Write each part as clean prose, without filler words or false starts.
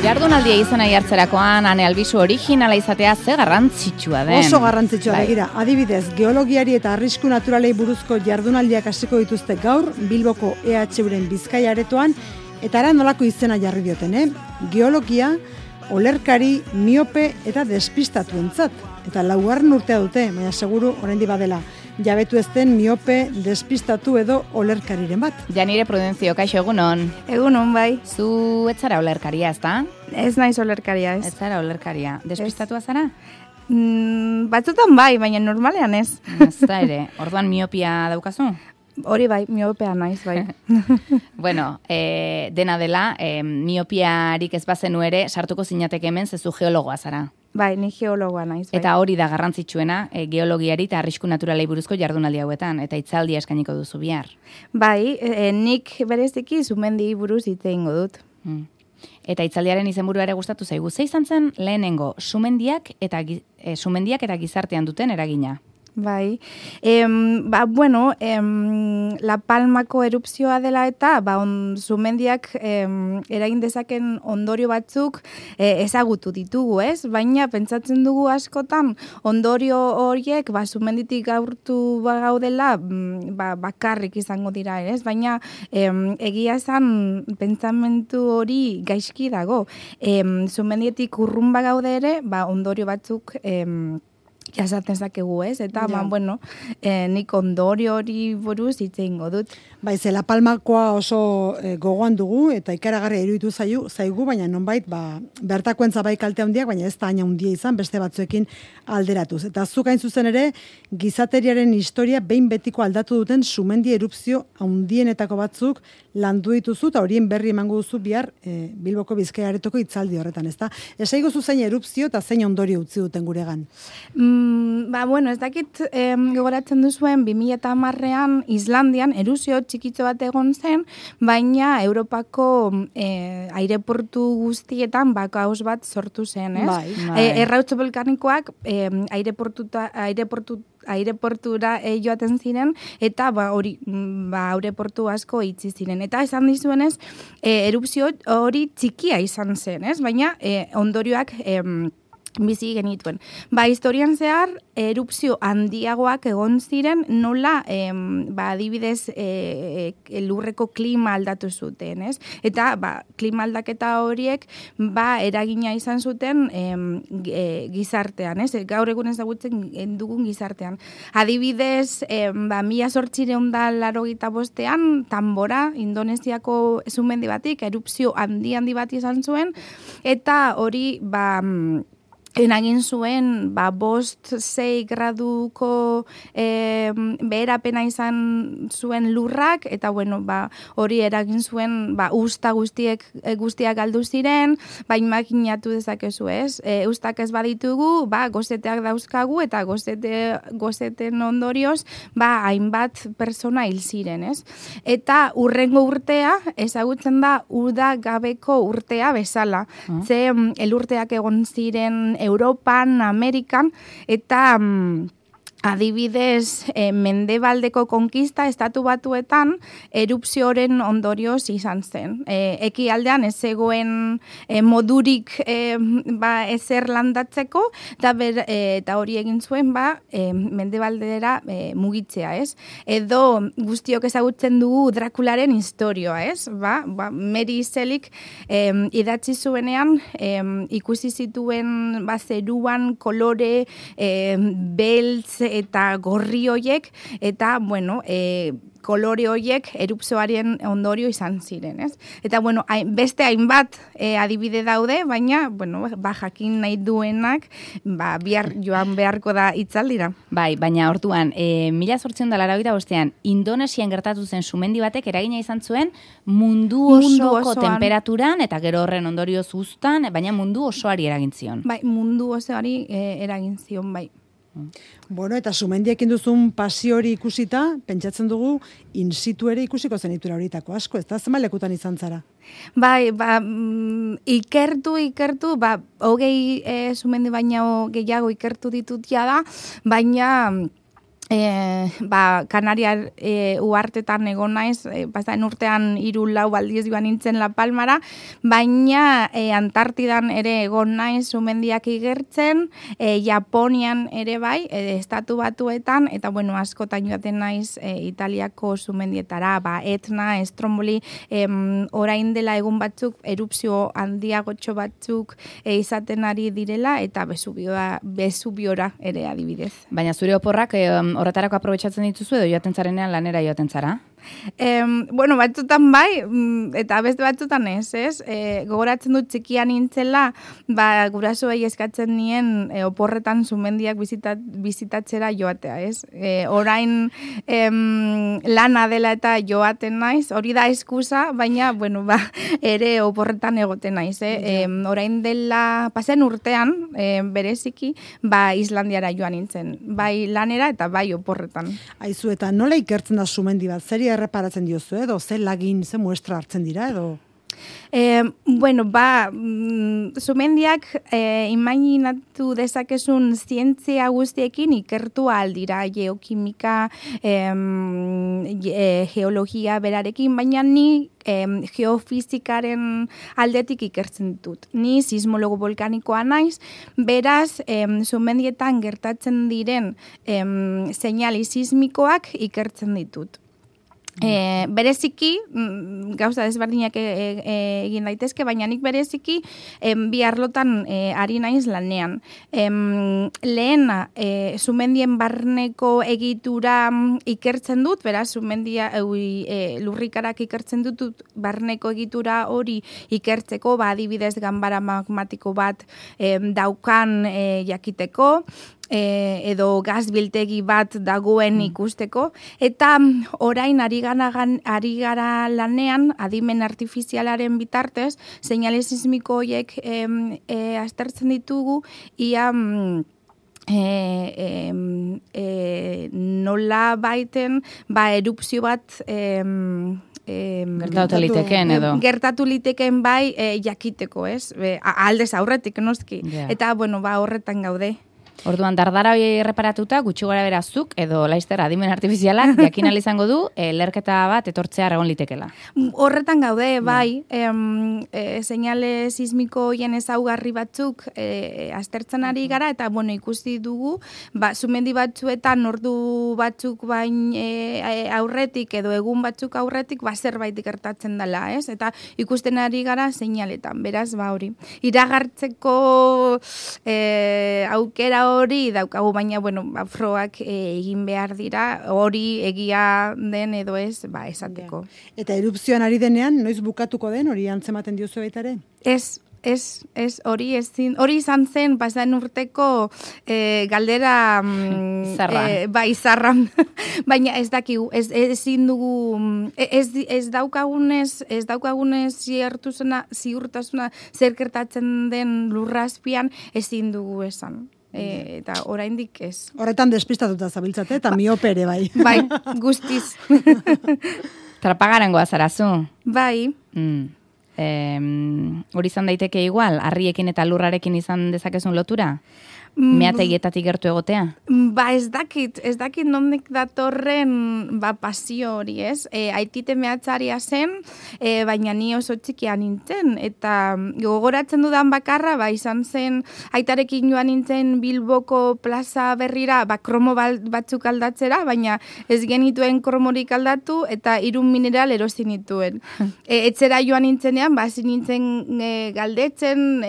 Jardunaldia izena jartzerakoan Ane Albizu originala izatea ze garrantzitsua den. Oso garrantzitsua begira. Adibidez, geologiari eta arrisku naturalei buruzko jardunaldiak hasiko dituzte gaur Bilboko EHUren Bizkaia aretoan eta ara nolako izena jarri dioten, Geologia, olerkari, miope eta despistatuentzat. Eta 4. urtea dute, baina seguru oraindik badela. Jabetu ez den miope, despistatu edo olerkariren bat. Janire Prudentzio, kaixo egunon. Egunon, bai. Zu ez zara olerkaria, ezta? Ez naiz olerkaria, ez. Ez zara olerkaria. Despistatua zara? Batzutan bai, baina normalean ez. Ez da ere. Orduan miopia daukazu? Hori bai, miopea naiz, bai. Bueno, dena dela, miopiarik ez bazenu ere, sartuko zinateke hemen zezu geologoa zara. Bai, ni geologoa naiz, bai. Eta hori da garrantzitsuena, geologiari eta arrisku naturalei buruzko jardunaldi hauetan, eta hitzaldia eskainiko duzu bihar. Bai, nik bereziki sumendi buruz hitz egingo dut. Eta hitzaldiaren izenburua ere gustatu zaigu. Ze izan zen lehenengo sumendiak eta gizartean duten eragina? Bai, La Palmako erupzioa dela eta sumendiak eragin dezaken ondorio batzuk ezagutu ditugu, ez? Baina pentsatzen dugu askotan ondorio horiek sumenditik gaurtu gaudela bakarrik izango dira, ez? Baina egia esan pentsamentu hori gaizki dago. Sumendietik urrun bagaude ere, ondorio batzuk jasaten zakegu, ez? Eta, nik ondorio hori buruz hitz egingo dut. Bai, La Palmakoa oso gogoan dugu, eta ikaragarria iruditu zaigu, baina nonbait, bertakoentza bai kalte handiak, baina ez da haina handia izan, beste batzuekin alderatuz. Eta zuk hain zuzen ere, gizateriaren historia behin betiko aldatu duten sumendi erupzio handienetako batzuk landu dituzu, eta horien berri emango duzu bihar Bilboko Bizkaia aretoko hitzaldi horretan, ezta? Esaigu zu zein erupzio eta zein ondorio utzi duten guregan. Ez dakit gogoratzen duzuen 2010ean Islandian erupzio txikitxo bat egon zen, baina Europako aireportu guztietan kaos bat sortu zen, ez? Errautz volkanikoak aireportura joaten ziren, eta aireportu asko itzi ziren. Eta esan dizuenez, erupzio hori txikia izan zen, ez? Baina ondorioak bizi genituen. Historian zehar, erupzio handiagoak egon ziren, nola, adibidez, lurreko klima aldatu zuten, ez? Eta, klima aldaketa horiek, eragina izan zuten gizartean, ez? Gaur egun ezagutzen dugun gizartean. Adibidez, 1885ean, Tambora, Indonesiako sumendi batik, erupzio handi bat izan zuen, eta hori, eragin zuen, 5-6 graduko beherapena izan zuen lurrak, eta hori eragin zuen, usta guztiak galdu ziren, imaginatu dezakezu, ez? Ustak ez baditugu, gozeteak dauzkagu, eta gozeten ondorioz, hainbat persona hil ziren, ez? Eta urrengo urtea, ezagutzen da, uda gabeko urtea bezala. Ze elurteak egon ziren Europan, Amerikan, eta adibidez, Mendebaldeko konkista estatu batuetan erupzioaren ondorioz izan zen. Ekialdean ez zegoen modurik ezer landatzeko, eta hori egin zuen Mendebaldera mugitzea, ez? Edo guztiok ezagutzen dugu Drakularen historioa, ez? Mary Shelleyk idatzi zuenean ikusi zituen zeruan kolore beltz eta gorri hoiek, eta, kolore hoiek erupzioaren ondorio izan ziren, ez? Eta, beste hainbat adibide daude, baina, jakin nahi duenak, bihar joan beharko da hitzaldira. Bai, baina orduan, 1885ean, Indonesian gertatu zen sumendi batek eragina izan zuen mundu osoko temperaturan, eta gero horren ondorioz uztan, baina mundu osoari eragin zion. Bai, mundu osoari eragin zion, bai. Eta sumendiekin duzun pasio hori ikusita, pentsatzen dugu, in situ ere ikusiko zenitura horitako asko, ez da zemalekutan izan zara? Bai, ikertu, 20 sumendi baina gehiago ikertu ditut da, baina Kanariar uhartetan egon naiz, pasaden urtean 3-4 aldiz joan nintzen La Palmara, baina Antartidan ere egon naiz sumendiak igertzen, Japonian ere bai, Estatu Batuetan, eta bueno, askotan joaten naiz Italiako sumendietara, Etna, Stromboli, orain dela egun batzuk, erupzio handiagotxo batzuk izaten ari direla, eta Vesuviora ere adibidez. Baina zure oporrak horretarako aprobetxatzen dituzu edo joaten zarenean lanera joaten zara? Bueno, batzutan bai, eta beste batzutan ez? Gogoratzen dut txikian nintzela, gurasoei eskatzen nien oporretan sumendiak bizitatzera joatea, ez? Orain lana dela eta joaten naiz, hori da eskusa, baina, bueno, ere oporretan egoten naiz, Orain dela, pasen urtean, bereziki, Islandiara joan nintzen, bai lanera eta bai oporretan. Aizu, eta nola ikertzen da sumendi bat? Zeri erreparatzen diozu, edo ze lagin, ze muestra hartzen dira, edo? Bueno, sumendiak imaginatu dezakezun zientzia guztiekin ikertu aldira, geokimika, geologia berarekin, baina ni geofizikaren aldetik ikertzen ditut. Ni sismologo volkanikoa naiz, beraz, sumendietan gertatzen diren seinali sismikoak ikertzen ditut. Bereziki, gauza desberdinak egin daitezke, baina nik bereziki bi arlotan ari naiz lanean. Lehena, sumendien barneko egitura ikertzen dut, beraz, sumendia lurrikarak ikertzen dut barneko egitura hori ikertzeko, adibidez ganbara magmatiko bat daukan jakiteko, edo gazbiltegi bat dagoen ikusteko, eta orain ari gara lanean adimen artifizialaren bitartez, seinale sismiko horiek aztertzen ditugu, ia nola baiten erupzio bat gertatu litekeen bai jakiteko, ez? Aldez aurretik, noski. Yeah. Eta, bueno, horretan gaude. Orduan, dardara hori erreparatuta, gutxi gara berazuk, edo laizter adimen artifizialak, jakin izango du, lerketa bat etortzea egon litekela. Horretan gaude, bai, seinale sismiko hien ezaugarri batzuk aztertzen ari gara, eta, bueno, ikusi dugu, sumendi batzuetan, ordu batzuk bain aurretik, edo egun batzuk aurretik, zerbait gertatzen dela, ez? Eta ikusten ari gara seinaletan, beraz, hori. Iragartzeko aukera hori daukagu, baina, bueno, froak egin behar dira, hori egia den edo ez, esateko. Eta erupzioan ari denean, noiz bukatuko den, hori antzematen diozu baita ere? Hori izan zen, pasaden urteko galdera izarran. Baina ez dakigu, ezin dugu, ez daukagunez ziurtasuna zer gertatzen den lurrazpian, ezin dugu esan. Eta oraindik ez. Horretan despistatuta zabiltzate, eta miope ere bai. Bai, guztiz. Trapagarangoa zarazu. Bai. Hori izan daiteke igual, harriekin eta lurrarekin izan dezakezun lotura? Meategietatik gertu egotea? Ez dakit nondik datorren pasio hori, ez? Aitite mehatzaria zen, baina ni oso txikia nintzen, eta gogoratzen dudan bakarra, izan zen, aitarekin joan nintzen Bilboko plaza berrira, kromo batzuk aldatzera, baina ez genituen kromorik aldatu, eta 3 mineral erosi nituen. Etzera joan nintzenean, nintzen galdetzen,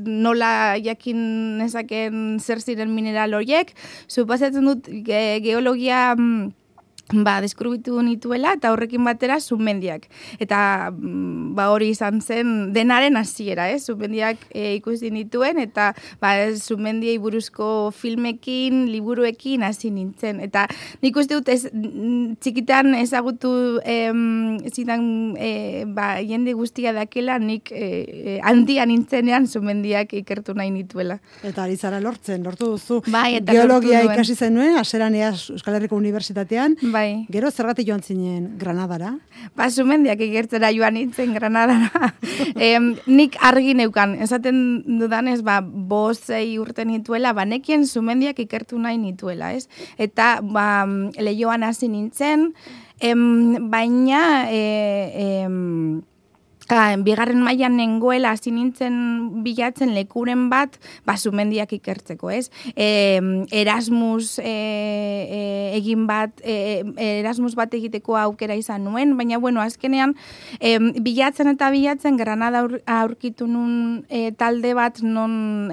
nola jakin nezaken zer ziren mineral horiek, suposatzen dut geologia deskrubitu nituela, eta horrekin batera sumendiak. Eta hori izan zen denaren hasiera, sumendiak ikusi nituen, eta sumendiei buruzko filmekin, liburuekin hasi nintzen. Eta nik uste dut txikitan ezagutu zidan jende guztia dakela, nik handia nintzenean sumendiak ikertu nahi nituela. Eta ari zara lortu duzu. Geologia ikasi zenuen, haseran Euskal Herriko Unibertsitatean, Bai. Gero zergatik joan zinen Granadara? Sumendiak ikertzera joan nintzen Granadara. Nik argi neukan, esaten dudanez, 5-6 urte nituela, nekien sumendiak ikertu nahi nituela, ez? Eta lehioan hasi nintzen, baina bigarren mailan nengoela hasi nintzen bilatzen lekuren bat, sumendiak ikertzeko, ez? Erasmus Erasmus bat egiteko aukera izan nuen, baina bueno, azkenean bilatzen Granada aurkitu nun talde bat non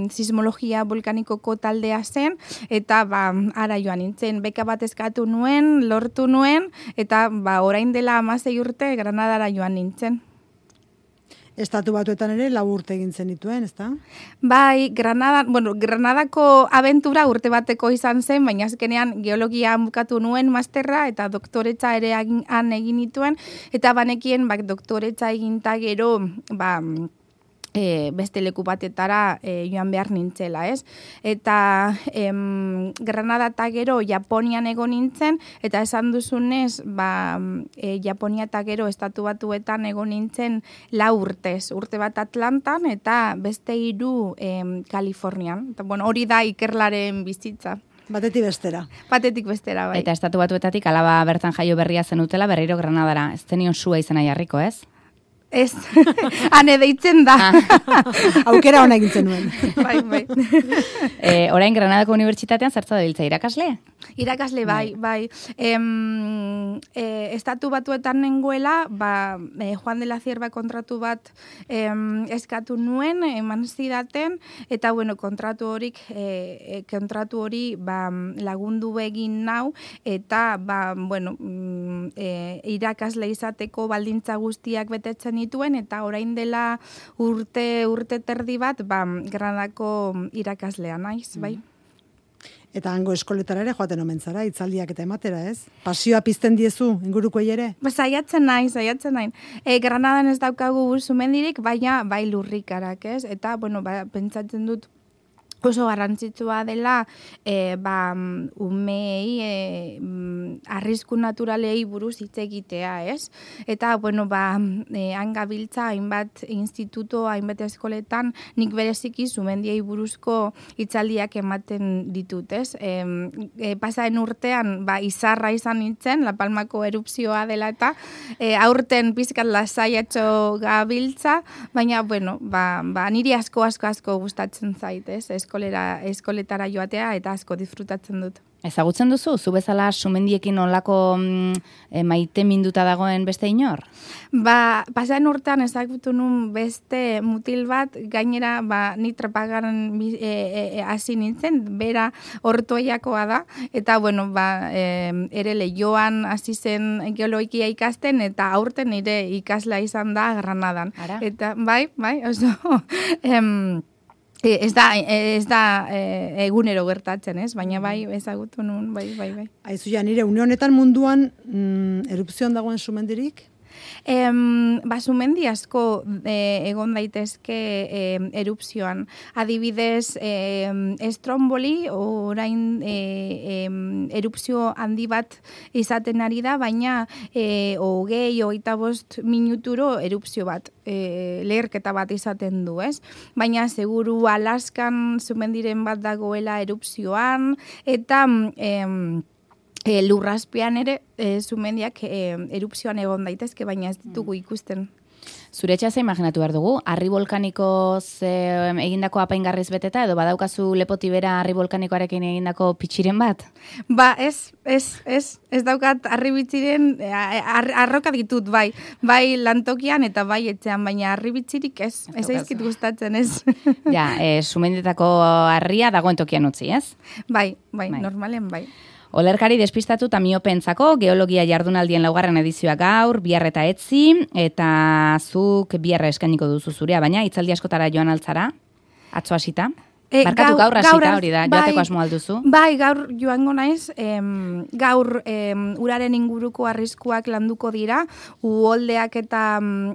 sismologia volkanikoko taldea zen, eta ara joan nintzen, beka bat eskatu nuen, lortu nuen, eta orain dela 16 urte Granadara joan nintzen. Estatu Batuetan ere 4 urte egin zenituen, ezta? Bai, Granadako abentura urte bateko izan zen, baina azkenean geologia bukatu nuen masterra eta doktoretza ere han egin nituen, eta banekien doktoretza eginta gero, beste leku batetara joan behar nintzela, ez? Eta Granada eta gero Japonian egon nintzen, eta esan duzunez, Japonia eta gero Estatu Batuetan egon nintzen 4 urtez. Urte bat Atlantan eta beste 3 Kalifornian. Eta, hori da ikerlaren bizitza. Batetik bestera. Batetik bestera, bai. Eta Estatu Batuetatik alaba bertan jaio berria zenutela berriro Granadara. Ez zenion sua izena jarriko, ez? Ez, ane deitzen da. Aukera hona egin zenuen. Bai. Orain Granadako Unibertsitatean zertza dabiltza, irakasle? Irakasle, bai. Estatu Batuetan nengoela, Juan de la Cierva kontratu bat eskatu nuen, eman zidaten, eta kontratu hori lagundu egin nau, eta irakasle izateko baldintza guztiak betetzen nituen, eta orain dela urte terdi bat, Granadako irakaslea naiz, bai. Eta hango eskoletara ere joaten omen zara, hitzaldiak eta ematera, ez? Pasioa pizten diezu, ingurukoei ere? Saiatzen nahi. Granadan ez daukagu sumendirik, baina bai lurrikarak, ez? Eta, pentsatzen dut, oso garrantzitsua dela umei arrisku naturalei buruz hitz egitea, ez? Eta, han gabiltza hainbat instituto, hainbat eskoletan, nik bereziki sumendiei buruzko hitzaldiak ematen ditut, ez? Pasaren urtean, izarra izan nintzen, La Palmako erupzioa dela eta aurten pizkat lasaiatxo gabiltza, baina, niri asko gustatzen zait, ez? Eskoletara joatea eta asko disfrutatzen dut. Ezagutzen duzu, zu bezala sumendiekin olako maite minduta dagoen beste inor? Pasaren urtean ezagutu nun beste mutil bat, gainera ni trapagaran hasi nintzen, bera Ortueiakoa da, eta ere Leioan hasi zen geologia ikasten, eta aurten nire ikaslea izan da Granadan. Ara? Eta bai, oso... Ez da egunero gertatzen, ez? Baina bai, ezagutu nun, bai. Aizu nire, une honetan munduan erupzioan dagoen sumendirik? Sumendi asko egon daitezke erupzioan. Adibidez, Stromboli orain erupzio handi bat izaten ari da, baina 20-25 minuturo erupzio bat, leherketa bat izaten du, ez? Baina seguru Alaskan sumendiren bat dagoela erupzioan, eta... lurrazpian ere, sumendiak erupzioan egon daitezke, baina ez ditugu ikusten. Zure etxea ze imaginatu behar dugu? Harri volkanikoz egindako apaingarriz beteta, edo badaukazu lepotibera harri volkanikoarekin egindako pitxiren bat? Ez daukat harri bitxiren, arroka ditut, bai lantokian eta bai etxean, baina harri bitxirik ez aizkit gustatzen, ez. Ja, sumendetako harria dagoen tokian utzi, ez? Bai, normalen bai. Olerkari despistatu eta miopentzako geologia jardunaldien 4. edizioa gaur, bihar eta etzi, eta zuk biharra eskainiko duzu zurea, baina hitzaldi askotara joan altzara, atzo hasita? Barkatu gaur hasita hori da, joateko asmo alduzu? Bai, gaur joango naiz, gaur uraren inguruko arriskuak landuko dira, uholdeak eta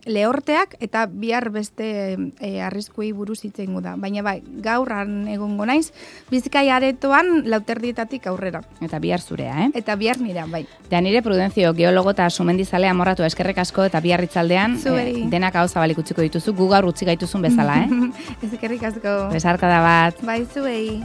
lehorteak, eta bihar beste arriskuei buruz hitz egingo da. Baina bai, gaur egongo naiz, Bizkaia aretoan lauterdietatik aurrera. Eta bihar zurea, Eta bihar nira, bai. Eta nire Prudentzio, geologo eta sumendizalea amorratu eskerrek asko, eta bihar itzaldean, denak hau zabalik utziko dituzu, gu gaur utzi gaituzun bezala, Eskerrik asko. Besarka da bat. Bai, zuei.